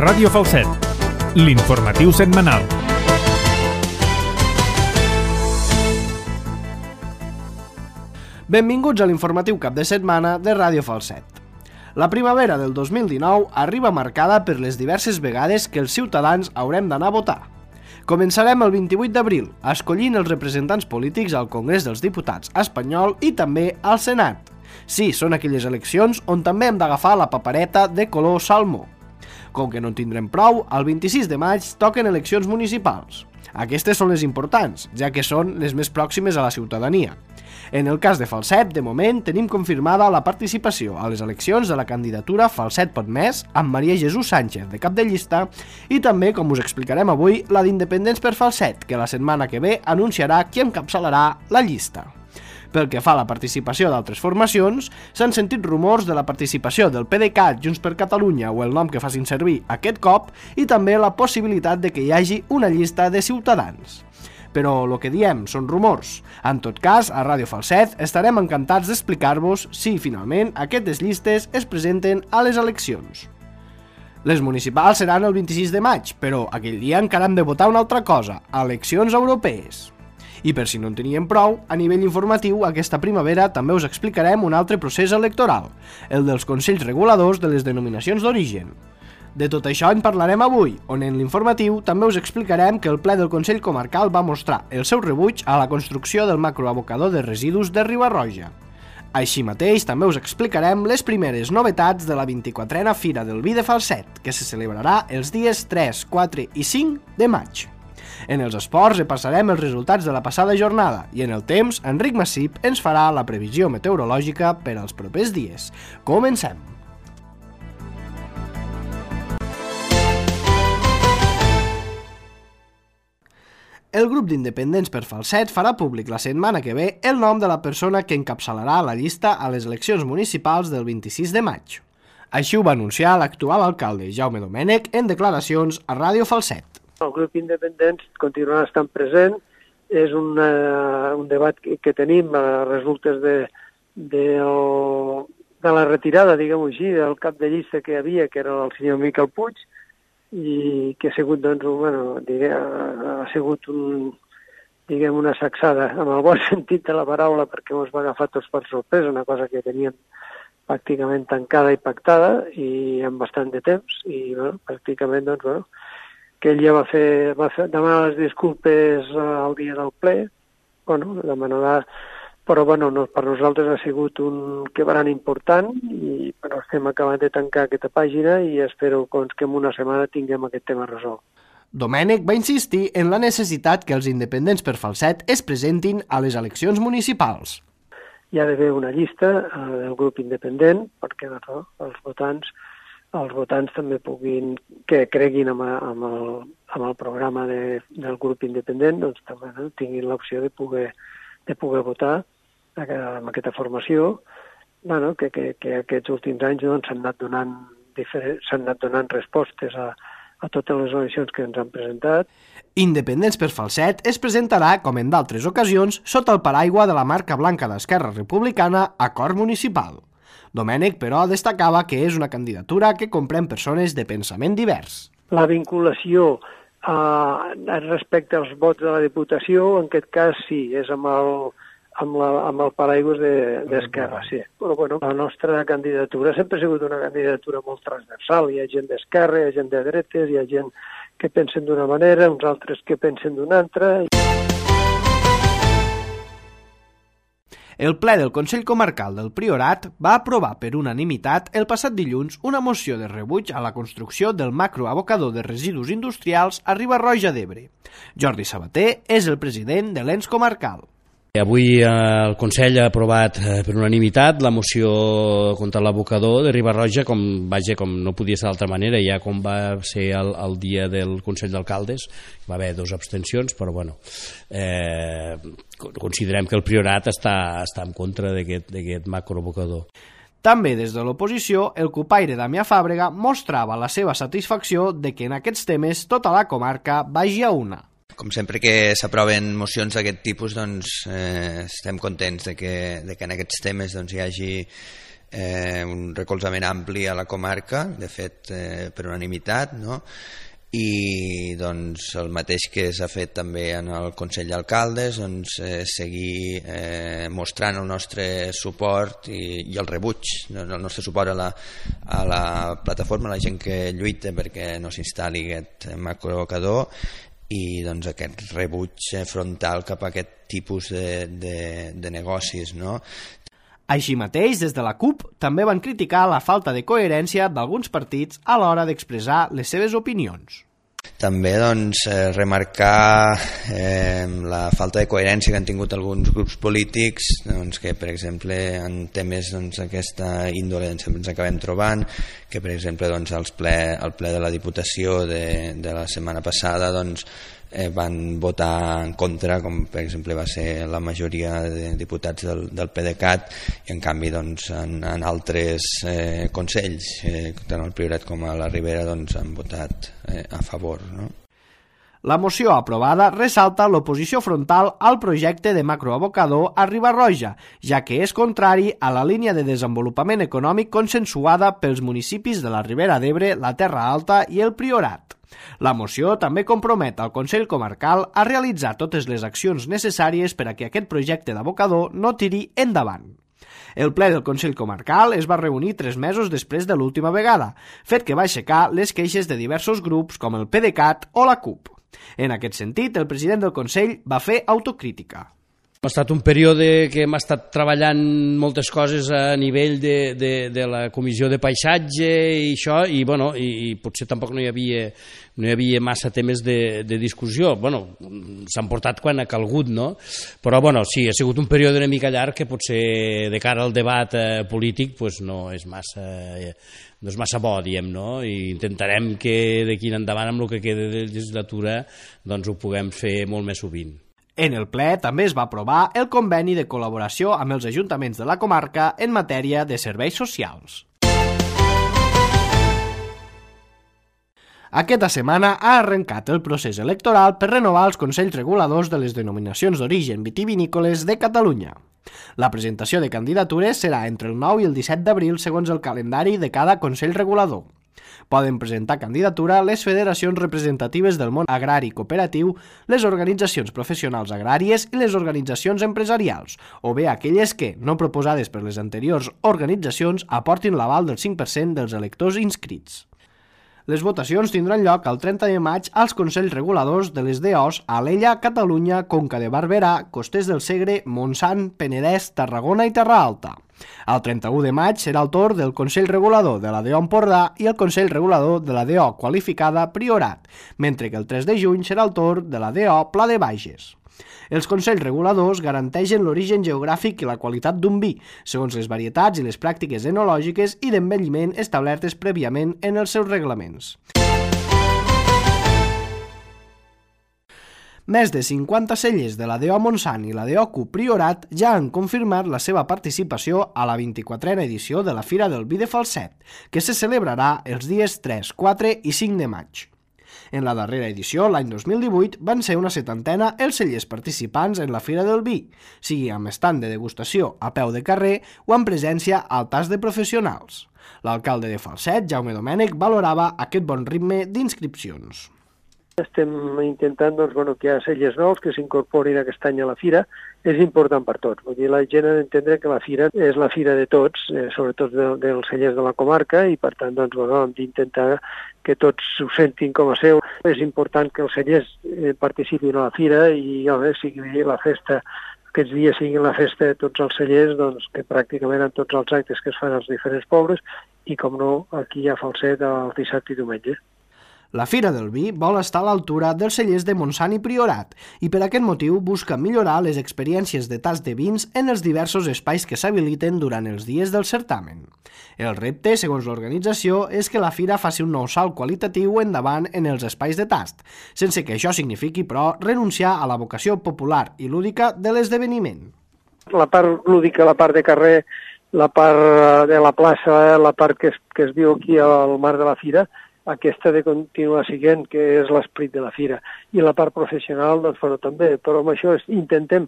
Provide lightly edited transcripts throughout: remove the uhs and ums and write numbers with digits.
Ràdio Falset, l'informatiu setmanal. Benvinguts a l'informatiu cap de setmana de Ràdio Falset. La primavera del 2019 arriba marcada per les diverses vegades que els ciutadans haurem d'anar a votar. Començarem el 28 d'abril, escollint els representants polítics al Congrés dels Diputats espanyol i també al Senat. Sí, són aquelles eleccions on també hem d'agafar la papereta de color salmó. Com que no en tindrem prou, el 26 de maig toquen eleccions municipals. Aquestes són les importants, ja que són les més pròximes a la ciutadania. En el cas de Falset, de moment, tenim confirmada la participació a les eleccions de la candidatura Falset Pot Més amb Maria Jesús Sánchez de cap de llista i també, com us explicarem avui, la d'Independents per Falset, que la setmana que ve anunciarà qui encapçalarà la llista. Pel que fa a la participació d'altres formacions, s'han sentit rumors de la participació del PDeCAT, Junts per Catalunya o el nom que facin servir aquest cop i també la possibilitat de que hi hagi una llista de Ciutadans. Però el que diem són rumors. En tot cas, a Ràdio Falset estarem encantats d'explicar-vos si finalment aquestes llistes es presenten a les eleccions. Les municipals seran el 26 de maig, però aquell dia encara hem de votar una altra cosa, eleccions europees. I per si no en teníem prou, a nivell informatiu, aquesta primavera també us explicarem un altre procés electoral, el dels Consells Reguladors de les Denominacions d'Origen. De tot això en parlarem avui, on en l'informatiu també us explicarem que el ple del Consell Comarcal va mostrar el seu rebuig a la construcció del macroabocador de residus de Riba-roja. Així mateix, també us explicarem les primeres novetats de la 24a Fira del Vi de Falset, que se celebrarà els dies 3, 4 i 5 de maig. En els esports repassarem els resultats de la passada jornada i en el temps, Enric Massip ens farà la previsió meteorològica per als propers dies. Comencem! El grup d'Independents per Falset farà públic la setmana que ve el nom de la persona que encapçalarà la llista a les eleccions municipals del 26 de maig. Així ho va anunciar l'actual alcalde Jaume Domènech en declaracions a Ràdio Falset. El grup independents continuarà estant present, és un debat que tenim a resultes de la retirada, diguem-ho així, del cap de llista que hi havia, que era el senyor Miquel Puig, i que ha sigut, ha sigut una sacsada, en el bon sentit de la paraula, perquè ens va agafar tots per sorpresa, una cosa que teníem pràcticament tancada i pactada, i amb bastant de temps, i pràcticament, que ell ja va demanar les disculpes al dia del ple, demanarà, però per nosaltres ha sigut un quebrant important i estem acabant de tancar aquesta pàgina i espero que en una setmana tinguem aquest tema resolt. Domènech va insistir en la necessitat que els independents per Falset es presentin a les eleccions municipals. Hi ha d'haver una llista del grup independent perquè els votants també que creguin amb el programa del grup independent, també tinguin l'opció de poder votar amb aquesta formació, que aquests últims anys s'han anat donant respostes a totes les eleccions que ens han presentat. Independents per Falset es presentarà, com en d'altres ocasions, sota el paraigua de la marca blanca d'Esquerra Republicana Acord Municipal. Domènech, però, destacava que és una candidatura que comprèn persones de pensament divers. La vinculació respecte als vots de la Diputació, en aquest cas sí, és amb el paraigües d'Esquerra, sí. Però la nostra candidatura sempre ha sigut una candidatura molt transversal. Hi ha gent d'Esquerra, hi ha gent de dretes, hi ha gent que pensen d'una manera, uns altres que pensen d'una altra. El ple del Consell Comarcal del Priorat va aprovar per unanimitat el passat dilluns una moció de rebuig a la construcció del macroabocador de residus industrials a Riba-roja d'Ebre. Jordi Sabater és el president de l'ens comarcal. Avui el Consell ha aprovat per unanimitat la moció contra l'abocador de Riba-roja, com no podia ser d'altra manera, ja com va ser el dia del Consell d'Alcaldes, va haver 2 abstencions, però considerem que el Priorat està en contra d'aquest macroabocador. També des de l'oposició, el cupaire Damià Fàbrega mostrava la seva satisfacció de que en aquests temes tota la comarca vagi a una. Com sempre que s'aproven mocions d'aquest tipus, doncs, estem contents de que en aquests temes doncs, hi hagi un recolzament ampli a la comarca, de fet per unanimitat, no? I doncs, el mateix que s'ha fet també en el Consell d'Alcaldes, doncs, seguir mostrant el nostre suport i el rebuig, el nostre suport a la plataforma, a la gent que lluita perquè no s'instal·li aquest macroabocador, i doncs aquest rebuig frontal cap a aquest tipus de negocis, no? Així mateix, des de la CUP també van criticar la falta de coherència d'alguns partits a l'hora d'expressar les seves opinions. També doncs, remarcar la falta de coherència que han tingut alguns grups polítics, doncs, que per exemple en temes d'aquesta índole ens acabem trobant, que per exemple doncs, el ple de la Diputació de la setmana passada doncs, van votar en contra, com per exemple va ser la majoria de diputats del PDeCAT, i en canvi doncs, en altres consells, tant al Priorat com a la Ribera, doncs, han votat a favor, no? La moció aprovada ressalta l'oposició frontal al projecte de macroabocador a Riba-roja, ja que és contrari a la línia de desenvolupament econòmic consensuada pels municipis de la Ribera d'Ebre, la Terra Alta i el Priorat. La moció també compromet al Consell Comarcal a realitzar totes les accions necessàries per a que aquest projecte d'abocador no tiri endavant. El ple del Consell Comarcal es va reunir 3 mesos després de l'última vegada, fet que va aixecar les queixes de diversos grups com el PDeCAT o la CUP. En aquest sentit, el president del Consell va fer autocrítica. Ha estat un període que hem estat treballant moltes coses a nivell de la Comissió de Paisatge i això, i, bueno, i potser tampoc no hi havia massa temes de discussió. Bueno, s'han portat quan ha calgut, no? Però bueno, sí, ha sigut un període una mica llarg que potser de cara al debat polític pues, no és massa bo, diem, no? I intentarem que d'aquí en endavant, amb el que queda de legislatura, doncs ho puguem fer molt més sovint. En el ple també es va aprovar el conveni de col·laboració amb els ajuntaments de la comarca en matèria de serveis socials. Aquesta setmana ha arrencat el procés electoral per renovar els consells reguladors de les denominacions d'origen vitivinícoles de Catalunya. La presentació de candidatures serà entre el 9 i el 17 d'abril segons el calendari de cada consell regulador. Poden presentar candidatura les federacions representatives del món agrari cooperatiu, les organitzacions professionals agràries i les organitzacions empresarials, o bé aquelles que, no proposades per les anteriors organitzacions, aportin l'aval del 5% dels electors inscrits. Les votacions tindran lloc el 30 de maig als consells reguladors de les DOs a Alella, Catalunya, Conca de Barberà, Costers del Segre, Montsant, Penedès, Tarragona i Terra Alta. El 31 de maig serà el torn del Consell Regulador de la DO Empordà i el Consell Regulador de la DO Qualificada Priorat, mentre que el 3 de juny serà el torn de la DO Pla de Bages. Els consells reguladors garanteixen l'origen geogràfic i la qualitat d'un vi, segons les varietats i les pràctiques enològiques i d'envelliment establertes prèviament en els seus reglaments. Més de 50 cellers de la DO Montsant i la DO CUP Priorat ja han confirmat la seva participació a la 24a edició de la Fira del Vi de Falset, que se celebrarà els dies 3, 4 i 5 de maig. En la darrera edició, l'any 2018, van ser una 70 els cellers participants en la Fira del Vi, sigui amb estand de degustació a peu de carrer o amb presència al tast de professionals. L'alcalde de Falset, Jaume Domènech, valorava aquest bon ritme d'inscripcions. Estem intentant que hi ha cellers nous que s'incorporin aquest any a la fira. És important per tots. Vull dir, la gent ha d'entendre que la fira és la fira de tots, sobretot dels cellers de la comarca, i per tant hem d'intentar que tots ho sentin com a seu. És important que els cellers participin a la fira i sigui la festa, aquests dies siguin la festa de tots els cellers, que pràcticament en tots els actes que es fan als diferents pobles, i com no, aquí a Falset el dissabte i diumenge. La Fira del Vi vol estar a l'altura dels cellers de Montsant i Priorat i per aquest motiu busca millorar les experiències de tast de vins en els diversos espais que s'habiliten durant els dies del certamen. El repte, segons l'organització, és que la fira faci un nou salt qualitatiu endavant en els espais de tast, sense que això signifiqui, però, renunciar a la vocació popular i lúdica de l'esdeveniment. La part lúdica, la part de carrer, la part de la plaça, la part que es viu aquí al marc de la fira, aquesta de continuar sent, que és l'esperit de la fira. I la part professional, doncs, bueno, també, però amb això intentem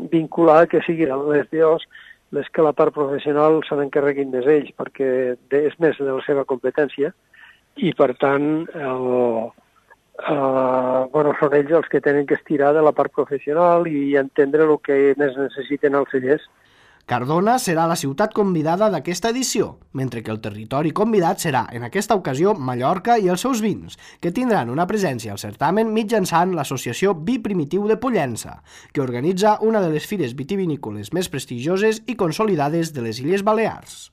vincular que siguin les DOs les que la part professional se n'encarreguin més ells, perquè és més de la seva competència, i per tant són ells els que tenen que estirar de la part professional i entendre el que més necessiten els cellers. Cardona serà la ciutat convidada d'aquesta edició, mentre que el territori convidat serà, en aquesta ocasió, Mallorca i els seus vins, que tindran una presència al certamen mitjançant l'Associació Vi Primitiu de Pollença, que organitza una de les fires vitivinícoles més prestigioses i consolidades de les Illes Balears.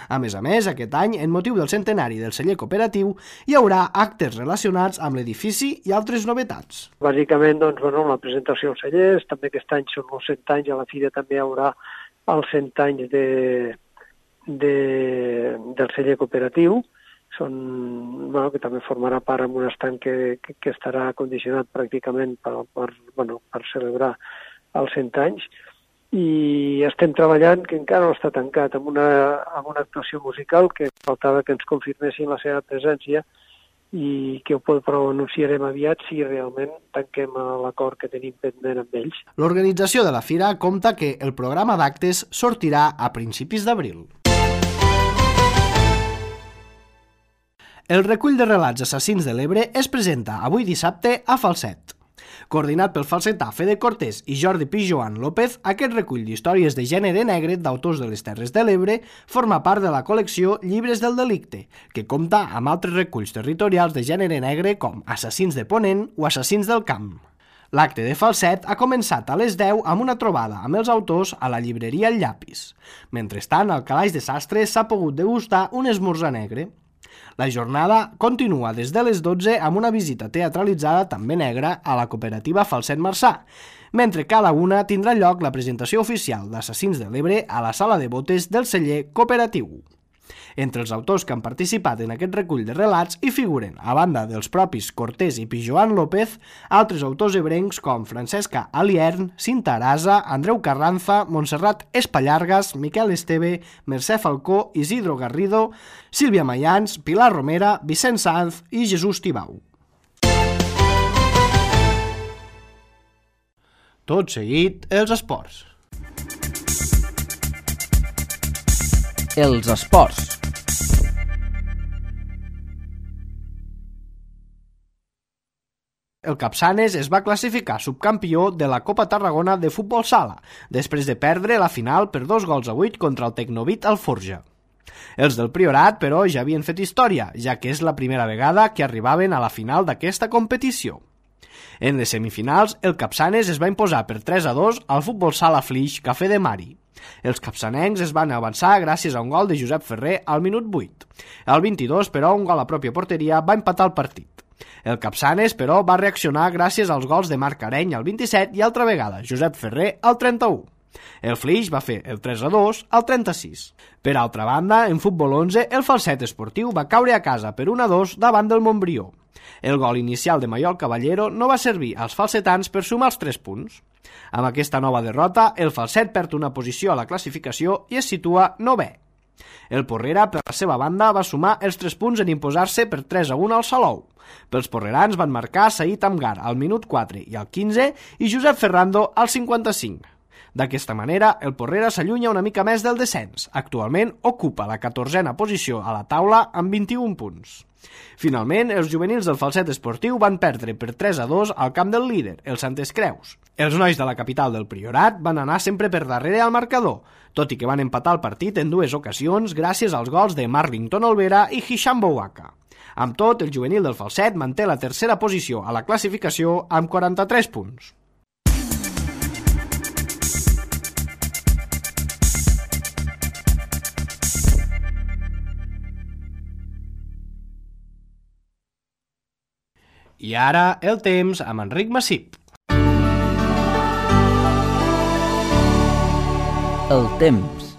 A més, aquest any, en motiu del centenari del celler cooperatiu, hi haurà actes relacionats amb l'edifici i altres novetats. Bàsicament, doncs, la presentació als cellers, també aquest any són els 100 anys, a la fira també hi haurà els 100 anys del celler cooperatiu, que també formarà part amb un estand que estarà condicionat pràcticament per celebrar els 100 anys, i estem treballant, que encara no està tancat, amb una actuació musical que faltava que ens confirmessin la seva presència i que però ho anunciarem aviat si realment tanquem l'acord que tenim pendent amb ells. L'organització de la fira compta que el programa d'actes sortirà a principis d'abril. El recull de relats assassins de l'Ebre es presenta avui dissabte a Falset. Coordinat pel falsetà Fede Cortés i Jordi Pijoan López, aquest recull d'històries de gènere negre d'autors de les Terres de l'Ebre forma part de la col·lecció Llibres del Delicte, que compta amb altres reculls territorials de gènere negre com Assassins de Ponent o Assassins del Camp. L'acte de Falset ha començat a les 10 amb una trobada amb els autors a la llibreria El Llapis. Mentrestant, al Calaix de Sastre s'ha pogut degustar un esmorzar negre. La jornada continua des de les 12 amb una visita teatralitzada també negra a la cooperativa Falset Marçà, mentre que a la 1 tindrà lloc la presentació oficial d'Assassins de l'Ebre a la sala de botes del celler cooperatiu. Entre els autors que han participat en aquest recull de relats hi figuren, a banda dels propis Cortés i Pijoan López, altres autors ebrencs com Francesca Aliern, Cinta Arasa, Andreu Carranza, Montserrat Espallargas, Miquel Esteve, Mercè Falcó, Isidro Garrido, Sílvia Mayans, Pilar Romera, Vicent Sanz i Jesús Tibau. Tot seguit, els esports. Els esports. El Capçanes es va classificar subcampió de la Copa Tarragona de futbol sala, després de perdre la final per 2-8 contra el Tecnovit Alforja. Els del Priorat, però, ja havien fet història, ja que és la primera vegada que arribaven a la final d'aquesta competició. En les semifinals, el Capçanes es va imposar per 3-2 al futbol sala Flix Cafè de Mari. Els capçanencs es van avançar gràcies a un gol de Josep Ferrer al minut 8. Al 22, però, un gol a pròpia porteria va empatar el partit. El Capçanes, però, va reaccionar gràcies als gols de Marc Areny al 27 i altra vegada Josep Ferrer al 31. El Flix va fer el 3-2 al 36. Per altra banda, en futbol 11, el Falset Esportiu va caure a casa per 1-2 davant del Montbrió. El gol inicial de Maiol Caballero no va servir als falsetans per sumar els 3 punts. Amb aquesta nova derrota, el Falset perd una posició a la classificació i es situa 9è. El Porrera, per la seva banda, va sumar els 3 punts en imposar-se per 3-1 al Salou. Pels porrerans van marcar Saïd Amgar al minut 4 i al 15 i Josep Ferrando al 55. D'aquesta manera, el Porrera s'allunya una mica més del descens. Actualment ocupa la 14a posició a la taula amb 21 punts. Finalment, els juvenils del Falset Esportiu van perdre per 3-2 al camp del líder, el Santes Creus. Els nois de la capital del Priorat van anar sempre per darrere al marcador, tot i que van empatar el partit en 2 ocasions gràcies als gols de Marlington Olvera i Hisham Bouaka. Amb tot, el juvenil del Falset manté la 3a posició a la classificació amb 43 punts. I ara, el temps amb Enric Massip. El temps.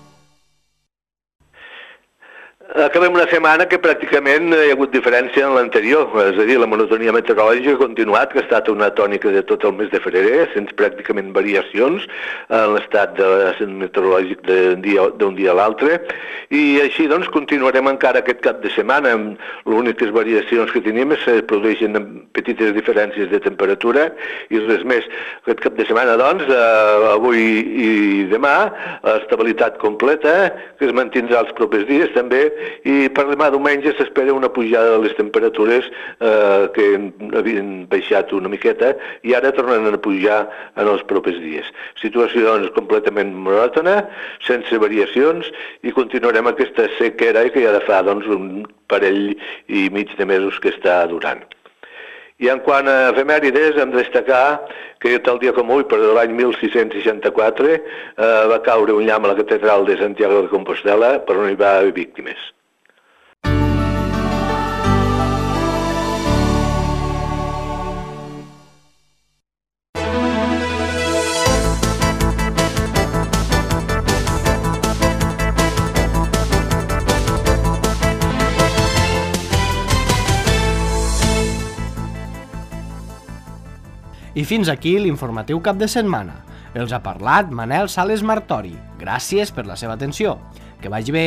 Acabem una setmana que pràcticament hi ha hagut diferència en l'anterior, és a dir, la monotonia meteorològica ha continuat, que ha estat una tònica de tot el mes de febrer, sense pràcticament variacions en l'estat meteorològic d'un dia a l'altre, i així doncs continuarem encara aquest cap de setmana. Les úniques variacions que tenim es produeixen petites diferències de temperatura i res més. Aquest cap de setmana, doncs, avui i demà, estabilitat completa, que es mantindrà els propers dies també, i per demà diumenge s'espera una pujada de les temperatures que havien baixat una miqueta i ara tornen a pujar en els propers dies. Situació doncs completament monòtona, sense variacions, i continuarem aquesta sequera que ja de fa doncs, un parell i mig de mesos que està durant. I en quant a efemèrides, hem de destacar que tal dia com avui, per l'any 1664, va caure un llamp a la catedral de Santiago de Compostela per on hi va haver víctimes. I fins aquí l'informatiu cap de setmana. Els ha parlat Manel Sales Martori. Gràcies per la seva atenció. Que vagi bé.